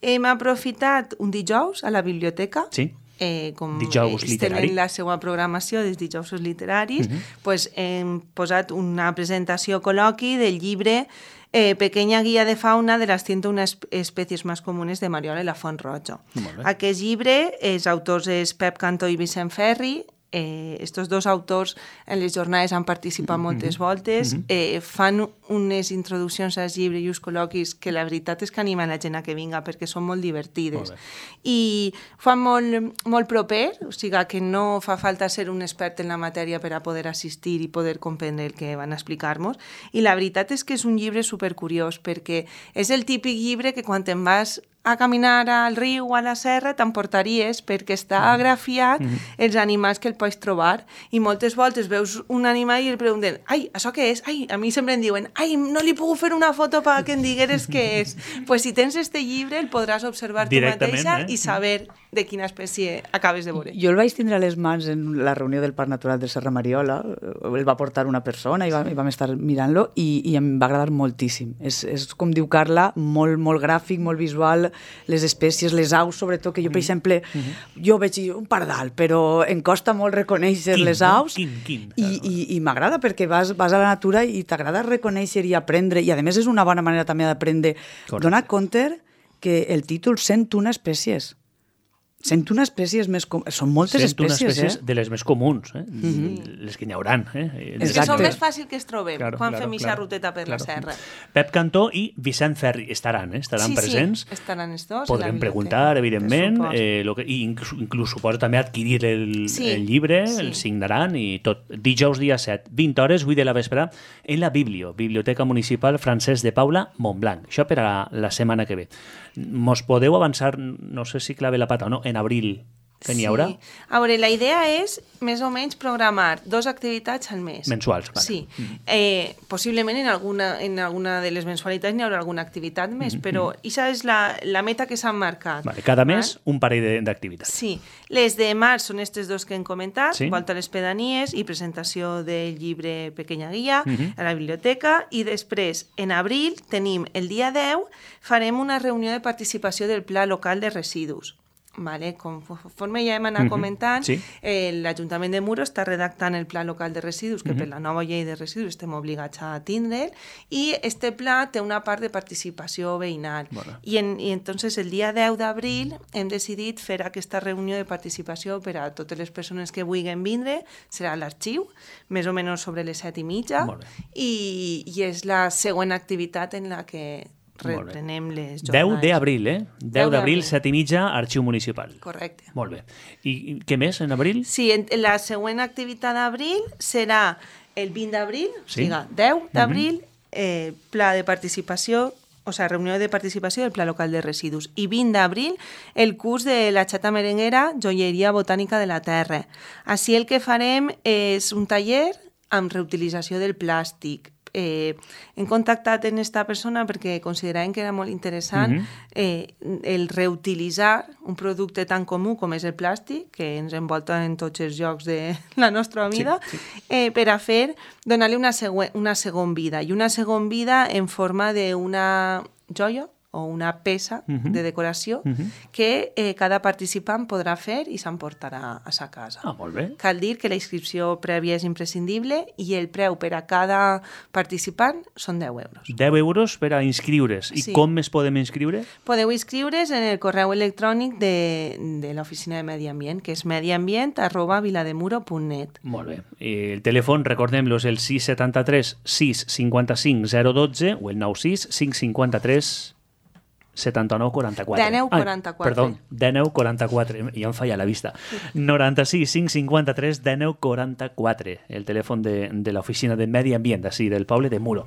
Hem aprofitat un dijous a la biblioteca. Sí. Com dijous literari. Tenen la seva programació dels dijousos literaris, hem posat una presentació col·loqui del llibre Pequeña guía de fauna de las 101 especies más comunes de Mariola i la Font Roja. Aquest llibre, els autors és Pep Cantó i Vicent Ferri. Estos dos autors en les jornades han participat moltes voltes, fan unes introduccions als llibres i uns col·loquis que la veritat és que animen la gent a que vinga perquè són molt divertides i fan molt proper, o sigui que no fa falta ser un expert en la matèria per a poder assistir i poder comprendre el que van a explicar-nos, i la veritat és que és un llibre supercuriós perquè és el típic llibre que quan te'n vas a caminar al riu o a la serra t'emportaries perquè està agrafiat els animals que el pots trobar, i moltes voltes veus un animal i el pregunten, ai, això què és? Ai, a mi sempre em diuen, ai, no li puc fer una foto perquè em digueres què és. Pues si tens este llibre el podràs observar tu mateixa i saber de quina espècie acabes de veure. Jo el vaig tindre a les mans en la reunió del Parc Natural de Serra Mariola, el va portar una persona i vam estar mirant-lo i em va agradar moltíssim. És com diu Carla, molt gràfic, molt visual, les espècies, les aus, sobretot, que jo, per exemple, jo veig un pardal, però em costa molt reconèixer les aus. I m'agrada perquè vas a la natura i t'agrada reconèixer i aprendre, i a més és una bona manera també d'aprendre. Dona compte que el títol 101 espècies. 101 espècies més comunes. Són moltes espècies, 101 espècies de les més comuns, les que n'hi hauran. És que són més fàcil que es trobem quan fem ixa ruteta per la serra. Pep Cantó i Vicent Ferri estaran presents. Sí, estaran els dos. Podrem preguntar, evidentment, i inclús suposo també adquirir el llibre, el signaran i tot. Dijous dia 7, 20 hores, 8 de la vespre, en la Biblioteca Municipal Francesc de Paula, Montblanc. Això per a la setmana que ve. Mos podeu avançar, no sé si clave la pata o no, en abril, que n'hi haurà? A veure, la idea és més o menys programar 2 activitats al mes. Mensuals, clar. Sí. Possiblement en alguna de les mensualitats n'hi haurà alguna activitat més, però aquesta és la meta que s'han marcat. Cada mes un parell d'activitats. Sí. Les de març són aquestes 2 que hem comentat, volta a les pedanies i presentació del llibre Pequeña guía a la biblioteca, i després, en abril, tenim el dia 10, farem una reunió de participació del Pla Local de Residus. Conforme ja hem anat comentant, l'Ajuntament de Muro està redactant el Pla Local de Residus, que per la nova llei de residus estem obligats a tindre'l, i este pla té una part de participació veïnal. I entonces el dia 10 d'abril hem decidit fer aquesta reunió de participació per a totes les persones que vulguin vindre, serà a l'arxiu, més o menys sobre les 7:30, i és la següent activitat en la que reprenem les jornades. 10 d'abril, 10 d'abril, 7:30, Arxiu Municipal. Correcte. Molt bé. I què més en abril? Sí, la següent activitat d'abril serà el 20 d'abril, o sigui, 10 d'abril, pla de participació, o sigui, reunió de participació del Pla Local de Residus. I 20 d'abril, el curs de la Xata Merenguera, Joieria Botànica de la Terra. Així el que farem és un taller amb reutilització del plàstic. Hem contactat en esta persona perquè consideràvem que era molt interessant el reutilitzar un producte tan comú com és el plàstic, que ens envolta en tots els llocs de la nostra vida, per a donar-li una segona vida, i una segona vida en forma d'una joia o una peça de decoració que cada participant podrà fer i s'emportarà a sa casa. Molt bé. Cal dir que la inscripció prèvia és imprescindible i el preu per a cada participant són 10 euros. 10 euros per a inscriure's. I com es podem inscriure? Podeu inscriure's en el correu electrònic de l'Oficina de Medi Ambient, que és mediambient@vilademuro.net. Molt bé. El telèfon, recordem-lo, és el 673 655 012 o el 96 553 79 44. 19 44. Perdó, 19 44. Ja em falla la vista. 96 553 19 44. El telèfon de l'Oficina de Medi Ambient, d'ací, del poble de Muro.